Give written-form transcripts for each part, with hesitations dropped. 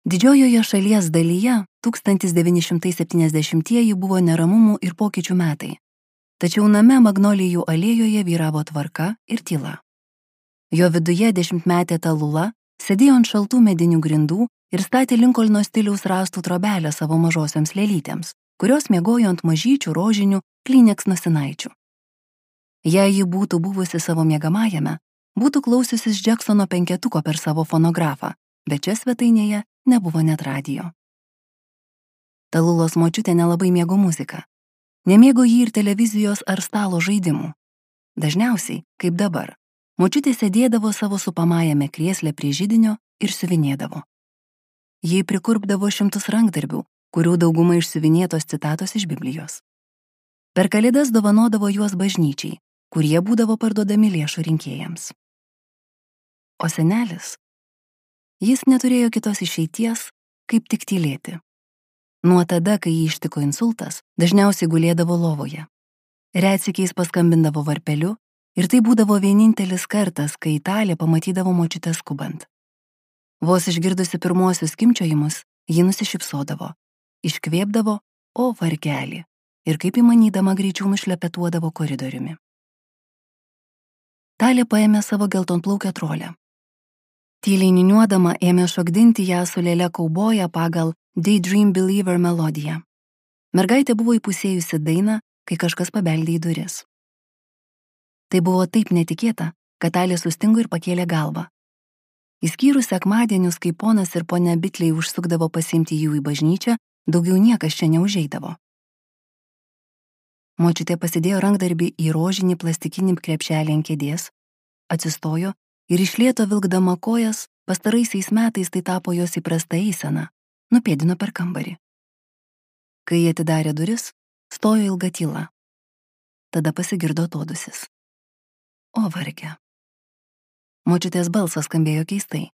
Didžiojoje šalies dalyje 1970-ieji buvo neramumų ir pokyčių metai. Tačiau name Magnolijų alėjoje vyravo tvarka ir tyla. Jo viduje 10-metė Talula sėdėjo ant šaltų medinių grindų ir statė Linkolno stiliaus rąstų trobelę savo mažosioms lėlytėms, kurios miegojo ant mažyčių rožinių Kleenex nosinaičių. Jei ji būtų buvusi savo miegamajame, būtų klausiusis Jacksono 5 per savo fonografą, bet čia svetainėje nebuvo net radijo. Talulos močiutė nelabai mėgo muziką. Nemėgo jį ir televizijos ar stalo žaidimų. Dažniausiai, kaip dabar, močiutė sėdėdavo savo supamajame krėsle prie židinio ir siuvinėdavo. Ji prikurpdavo 100 rankdarbių, kurių dauguma išsiuvinėtos citatos iš Biblijos. Per Kalėdas dovanodavo juos bažnyčiai, kurie būdavo parduodami lėšų rinkėjams. O senelis? Jis neturėjo kitos išeities, kaip tik tylėti. Nuo tada, kai jį ištiko insultas, dažniausiai gulėdavo lovoje. Retsykiais paskambindavo varpeliu ir tai būdavo vienintelis kartas, kai Italė pamatydavo močiutę skubant. Vos išgirdusi pirmuosius skimbčiojimus, ji nusišypsodavo, iškvėpdavo, o vargelį, ir kaip įmanydama greičiau nušlepetuodavo koridoriumi. Talė paėmė savo geltonplaukę trolę. Tyliai niūniuodama ėmė šokdinti ją su lėle kauboja pagal Daydream Believer melodiją. Mergaitė buvo įpusėjusi dainą, kai kažkas pabeldė į duris. Tai buvo taip netikėta, kad Talė sustingo ir pakėlė galvą. Įskyrus sekmadienius, kai ponas ir ponia Bitliai užsukdavo pasiimti jų į bažnyčią, daugiau niekas čia neužeidavo. Močiutė pasidėjo rankdarbį į rožinį plastikinį krepšelį ant kėdės, atsistojo ir iš lėto vilkdama kojas, pastaraisiais metais tai tapo jos įprasta eisena, nupėdino per kambarį. Kai jie atidarė duris, stojo ilga tyla. Tada pasigirdo atodūsis. O varge. Močiutės balsas skambėjo keistai.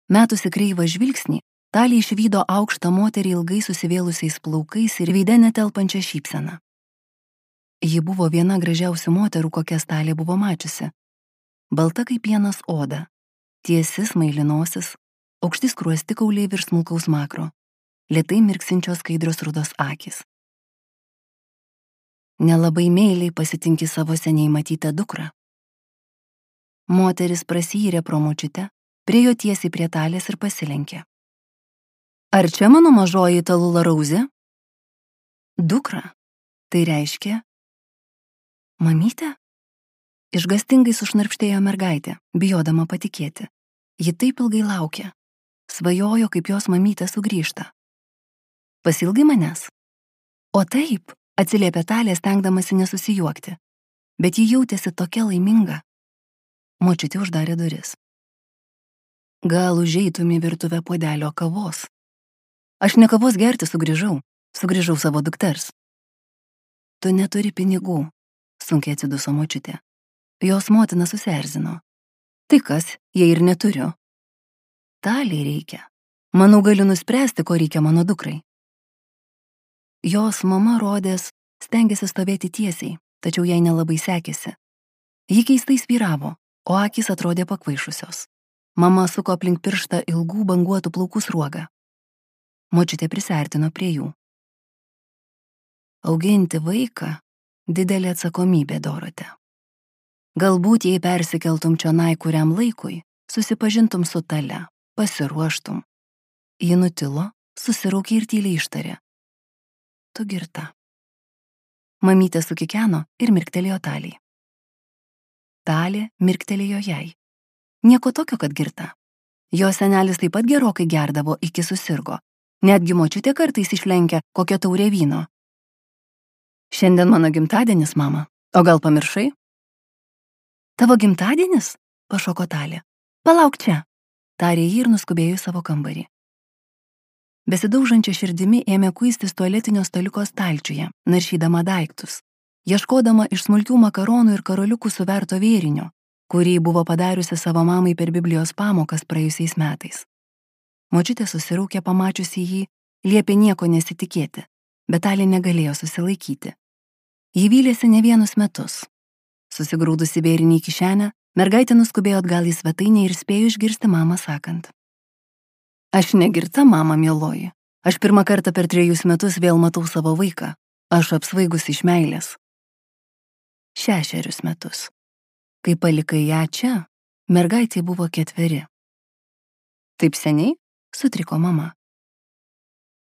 Metusi kreivą žvilgsnį, Talė išvydo aukštą moterį ilgai susivėlusiais plaukais ir veide netelpančią šypseną. Ji buvo viena gražiausių moterų, kokias Talė buvo mačiusi. Balta kaip pienas oda, tiesi smailinosis, aukšti skruostikauliai virš smulkaus makro, lėtai mirksinčios skaidrios rudos akys. Nelabai meiliai pasitinki savo seniai matytą dukrą. Moteris prasiyyrė pro močiutę, priejo tiesiai prie Talės ir pasilenkė. Ar čia mano mažoji Talula Rauzė? Dukra, tai reiškia? Mamytė? Išgastingai sušnarpštėjo mergaitė, bijodama patikėti. Ji taip ilgai laukė. Svajojo, kaip jos mamytė sugrįžta. Pasilgai manęs? O taip, atsiliepė Talė, stengdamasi nesusijuokti. Bet ji jautėsi tokia laiminga. Močiutė uždarė duris. Gal užeitum į virtuvę puodelio kavos? Aš ne kavos gerti sugrįžau savo dukters. Tu neturi pinigų, sunkiai atsiduso močiutė. Jos motina susierzino. Tai kas, jei ir neturiu? Talei reikia. Manau, galiu nuspręsti, ko reikia mano dukrai. Jos mama rodės stengėsi stovėti tiesiai, tačiau jai nelabai sekėsi. Ji keistai svyravo, o akys atrodė pakvaišusios. Mama suko aplink pirštą ilgų banguotų plaukų sruogą. Močiutė prisiartino prie jų. Auginti vaiką – didelė atsakomybė, Dorotė. Galbūt jei persikeltum čionai kuriam laikui, susipažintum su Tale, pasiruoštum. Ji nutilo, susiraukė ir tyliai ištarė. Tu girta. Mamytė sukikeno ir mirktelėjo Talei. Talė mirktelėjo jai. Nieko tokio, kad girta. Jo senelis taip pat gerokai gerdavo, iki susirgo. Netgi močiutė kartais išlenkia kokią taurę vyno. Šiandien mano gimtadienis, mama. O gal pamiršai? Tavo gimtadienis? Pašoko Talė. Palauk čia. Tarė jį ir nuskubėjo į savo kambarį. Besidaužančia širdimi ėmė kuistis tualetinio staliuko stalčiuje, naršydama daiktus, ieškodama iš smulkių makaronų ir karoliukų suverto vėrinio, kurį buvo padariusi savo mamai per Biblijos pamokas praėjusiais metais. Močiutė susiraukė pamačiusi jį, liepė nieko nesitikėti, bet Talė negalėjo susilaikyti. Ji vylėsi ne vienus metus. Susigrūdusi vėrinį į kišenę, mergaitė nuskubėjo atgal į svetainę ir spėjo išgirsti mamą sakant. Aš negirta, mama mieloji. Aš pirmą kartą per 3 metus vėl matau savo vaiką. Aš apsvaigus iš meilės. 6 metus. Kai palikai ją čia, mergaitė buvo 4. Taip seniai? Sutriko mama.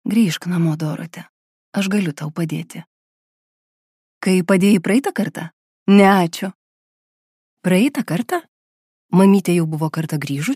Grįžk namo, Dorotė. Aš galiu tau padėti. Kai padėjai praeitą kartą? Ne, ačiū. Praeitą kartą? Mamytė jau buvo kartą grįžus?